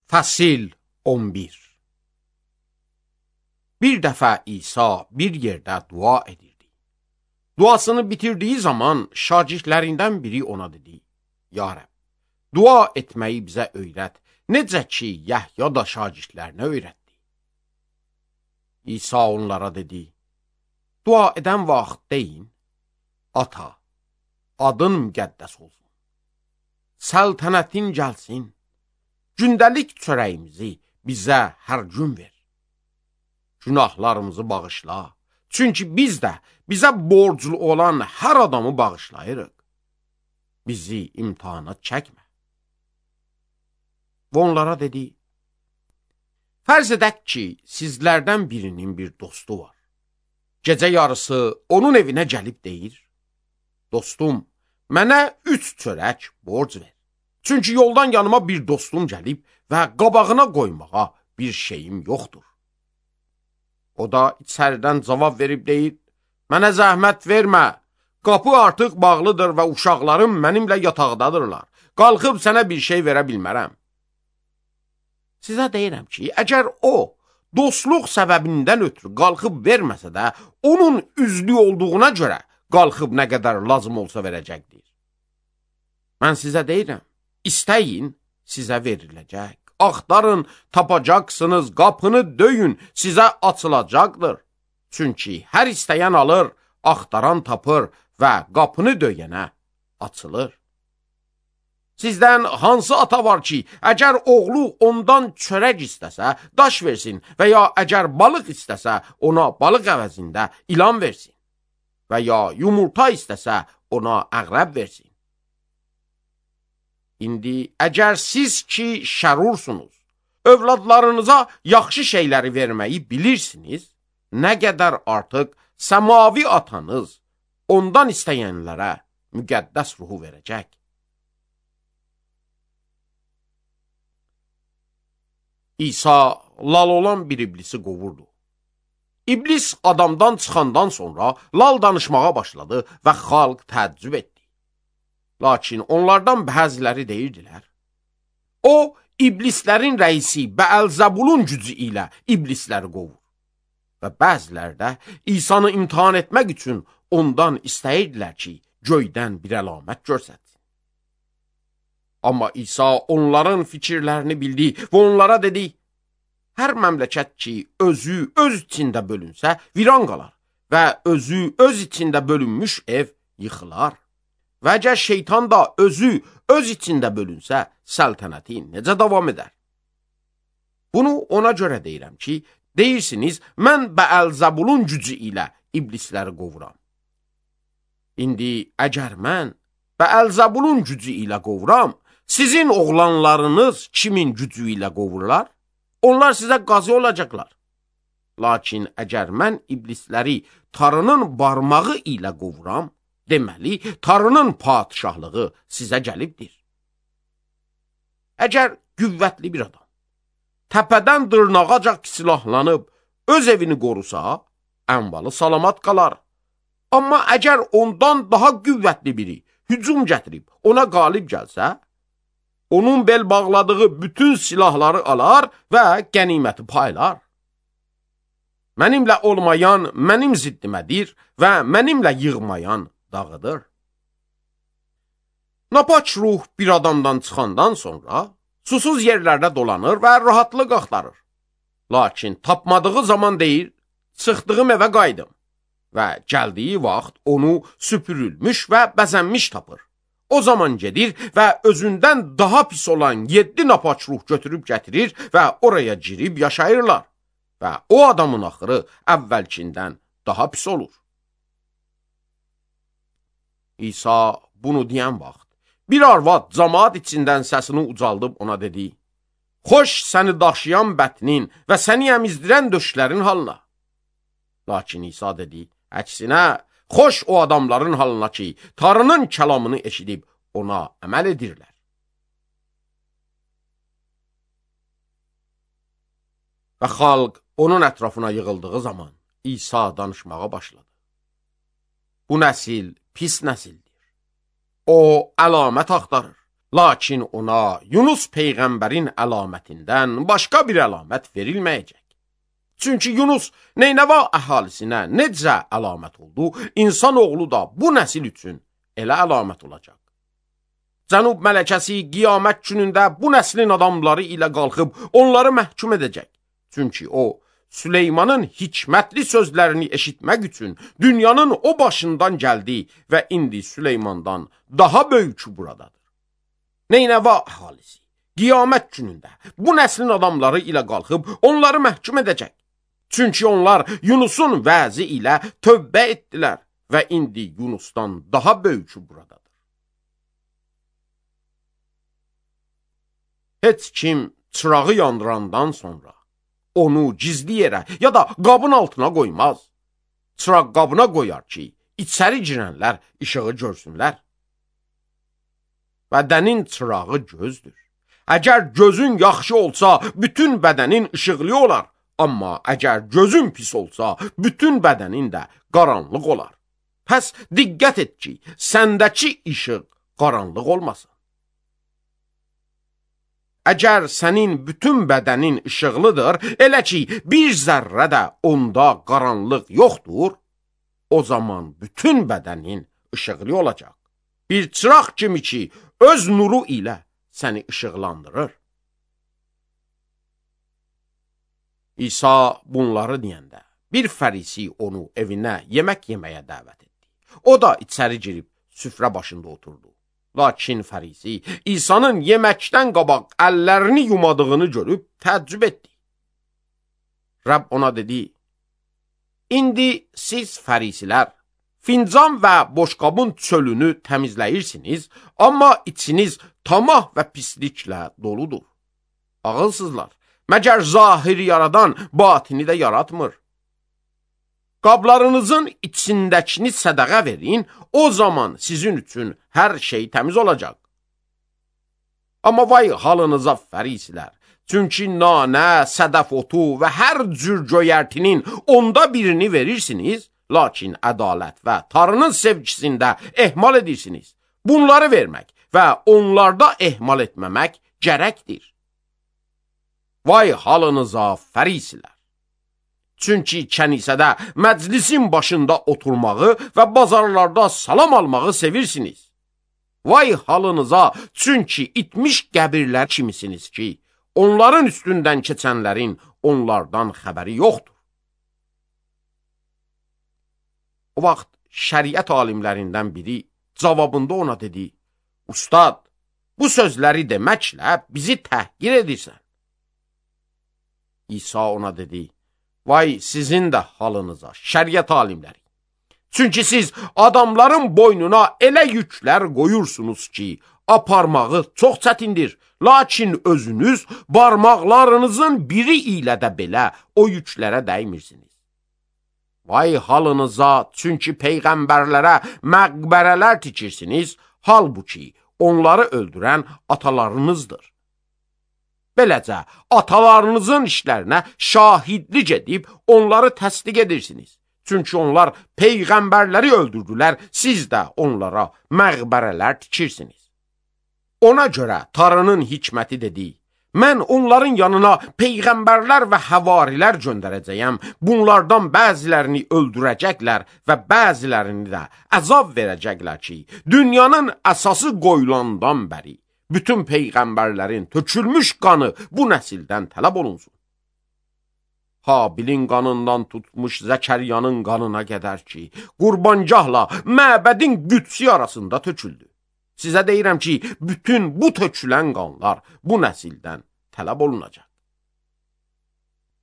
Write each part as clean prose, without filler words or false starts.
Fəsil 11. Bir dəfə İsa bir yerdə dua edirdi. Duasını bitirdiyi zaman şagirdlərindən biri ona dedi: Ya Rəbb, dua etməyi bizə öyrət, necə ki Yəhya da şagirdlərinə öyrətdi. İsa onlara dedi: Dua edən vaxt deyin: Ata, adın müqəddəs olsun. Səltənətin gəlsin. Gündəlik çörəyimizi bizə hər gün ver. Günahlarımızı bağışla. Çünki biz də bizə borclu olan hər adamı bağışlayırıq. Bizi imtihana çəkmə. Və onlara dedi: Fərz edək ki, sizlərdən birinin bir dostu var. Gecə yarısı onun evinə gəlib deyir: Dostum, mənə 3 çörək borc ver. Çünki yoldan yanıma bir dostum gəlib və qabağına qoymağa bir şeyim yoxdur. O da içəridən cavab verib deyir: Mənə zəhmət vermə, qapı artıq bağlıdır və uşaqlarım mənimlə yataqdadırlar. Qalxıb sənə bir şey verə bilmərəm. Sizə deyirəm ki, əgər o, dostluq səbəbindən ötürü qalxıb verməsə də, onun üzlü olduğuna görə qalxıb nə qədər lazım olsa verəcəkdir. Mən sizə deyirəm, İstəyin, sizə veriləcək. Axtarın, tapacaqsınız, qapını döyün, sizə açılacaqdır. Çünki hər istəyən alır, axtaran tapır və qapını döyənə açılır. Sizdən hansı ata var ki, əgər oğlu ondan çörək istəsə, daş versin və ya əgər balıq istəsə, ona balıq əvəzində ilan versin və ya yumurta istəsə, ona əqrəb versin. İndi əgər siz ki şərursunuz, övladlarınıza yaxşı şeyləri verməyi bilirsiniz, nə qədər artıq səmavi atanız ondan istəyənlərə müqəddəs ruhu verəcək. İsa lal olan bir iblisi qovurdu. İblis adamdan çıxandan sonra lal danışmağa başladı və xalq təəccüb etdi. Lakin onlardan bəziləri deyirdilər: O, iblislərin rəisi Bəəlzəbulun gücü ilə iblisləri qovur. Və bəziləri də İsanı imtihan etmək üçün ondan istəyirdilər ki, göydən bir əlamət görsətsin. Amma İsa onların fikirlərini bildi və onlara dedi: Hər məmləkət ki, özü öz içində bölünsə, viran qalar və özü öz içində bölünmüş ev yıxılar. Və əgər şeytan da özü öz içində bölünsə, səltənəti necə davam edər? Bunu ona görə deyirəm ki, deyirsiniz, mən Bəəlzəbulun gücü ilə iblisləri qovuram. İndi əgər mən Bəəlzəbulun gücü ilə qovuram, sizin oğlanlarınız kimin gücü ilə qovurlar? Onlar sizə qazı olacaqlar. Lakin əgər mən iblisləri Tanrının barmağı ilə qovuram, deməli, Tanrının padişahlığı sizə gəlibdir. Əgər qüvvətli bir adam təpədən dırnağacaq silahlanıb öz evini qorusa, ənvalı salamat qalar. Amma əgər ondan daha qüvvətli biri hücum gətirib ona qalib gəlsə, onun bel bağladığı bütün silahları alar və qəniməti paylar. Mənimlə olmayan mənim ziddimədir və mənimlə yığmayan dağıdır. Napaç ruh bir adamdan çıxandan sonra susuz yerlərdə dolanır və rahatlıq axtarır. Lakin tapmadığı zaman deyir, çıxdığım evə qaydım və gəldiyi vaxt onu süpürülmüş və bəzənmiş tapır. O zaman gedir və özündən daha pis olan 7 napaç ruh götürüb gətirir və oraya girib yaşayırlar və o adamın axırı əvvəlkindən daha pis olur. İsa bunu deyən vaxt, bir arvad camaat içindən səsini ucaldıb ona dedi: Xoş səni daşıyan bətnin və səni əmizdirən döşlərin halına. Lakin İsa dedi: Əksinə, xoş o adamların halına ki, Tanrının kəlamını eşidib ona əməl edirlər. Və xalq onun ətrafına yığıldığı zaman İsa danışmağa başladı. Bu nəsil pis nəsildir. O əlamət axtarır. Lakin ona Yunus peyğəmbərin əlamətindən başqa bir əlamət verilməyəcək. Çünki Yunus Neynəva əhalisinə necə əlamət oldu, insanoğlu da bu nəsil üçün elə əlamət olacaq. Cənub mələkəsi qiyamət günündə bu nəslin adamları ilə qalxıb onları məhkum edəcək. Çünki o, Süleymanın hikmətli sözlərini eşitmək üçün dünyanın o başından gəldi və indi Süleymandan daha böyükü buradadır. Neynəva əhalisi qiyamət günündə bu nəslin adamları ilə qalxıb onları məhkum edəcək. Çünki onlar Yunusun vəzi ilə tövbə etdilər və indi Yunusdan daha böyükü buradadır. Heç kim çırağı yandırandan sonra onu gizli yerə ya da qabın altına qoymaz. Çıraq qabına qoyar ki, içəri girənlər işığı görsünlər. Bədənin çırağı gözdür. Əgər gözün yaxşı olsa, bütün bədənin işıqlı olar. Amma əgər gözün pis olsa, bütün bədənin də qaranlıq olar. Pəs diqqət et ki, səndəki işıq qaranlıq olmasın. Əgər sənin bütün bədənin işıqlıdır, elə ki, bir zərrə də onda qaranlıq yoxdur, o zaman bütün bədənin işıqlı olacaq. Bir çıraq kimi ki, öz nuru ilə səni işıqlandırır. İsa bunları deyəndə, bir fərisi onu evinə yemək yeməyə dəvət etdi. O da içəri girib süfrə başında oturdu. Lakin fərisi İsa'nın yeməkdən qabaq əllərini yumadığını görüb təəccüb etdi. Rəbb ona dedi, indi siz fərisilər fincan və boşqabın çölünü təmizləyirsiniz, amma içiniz tamah və pisliklə doludur. Ağılsızlar, məgər zahiri yaradan batini də yaratmır. Qablarınızın içindəkini sədəqə verin, o zaman sizin üçün hər şey təmiz olacaq. Amma vay halınıza fərisilər, çünki nanə, sədəf otu və hər cür göyərtinin onda birini verirsiniz, lakin ədalət və Tanrının sevgisində ehmal edirsiniz. Bunları vermək və onlarda ehmal etməmək gərəkdir. Vay halınıza fərisilər! Çünki kənisədə məclisin başında oturmağı və bazarlarda salam almağı sevirsiniz. Vay halınıza, çünki itmiş qəbirlər kimisiniz ki, onların üstündən keçənlərin onlardan xəbəri yoxdur. O vaxt şəriət alimlərindən biri cavabında ona dedi, Ustad, bu sözləri deməklə bizi təhqir edirsən. İsa ona dedi, vay sizin də halınıza, şəriət alimləri. Çünki siz adamların boynuna elə yüklər qoyursunuz ki, aparmağı çox çətindir. Lakin özünüz barmaqlarınızın biri ilə də belə o yüklərə dəymirsiniz. Vay halınıza, çünki peyğəmbərlərə məqbərələr tikirsiniz, halbuki onları öldürən atalarınızdır. Beləcə, atalarınızın işlərinə şahidlik edib onları təsdiq edirsiniz. Çünki onlar peyğəmbərləri öldürdülər, siz də onlara məqbərələr tikirsiniz. Ona görə Tanrının hikməti dedi, mən onların yanına peyğəmbərlər və həvarilər göndərəcəyəm, bunlardan bəzilərini öldürəcəklər və bəzilərini də əzab verəcəklər ki, dünyanın əsası qoyulandan bəri bütün peyğəmbərlərin tökülmüş qanı bu nəsildən tələb olunsun. Habilin qanından tutmuş Zəkəriyanın qanına qədər ki, qurbangahla məbədin qüdsi arasında töküldü. Sizə deyirəm ki, bütün bu tökülən qanlar bu nəsildən tələb olunacaq.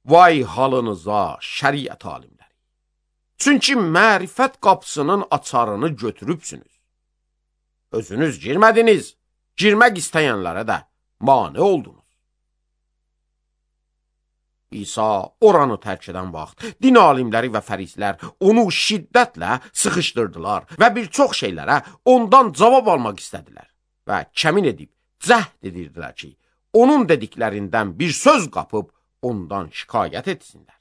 Vay halınıza, şəriət alimləri! Çünki mərifət qapısının açarını götürübsünüz. Özünüz girmədiniz. Girmək istəyənlərə də mane oldunuz. İsa oranı tərk edən vaxt din alimləri və fərislər onu şiddətlə sıxışdırdılar və bir çox şeylərə ondan cavab almaq istədilər və kəmin edib cəhd edirdilər ki, onun dediklərindən bir söz qapıb ondan şikayət etsinlər.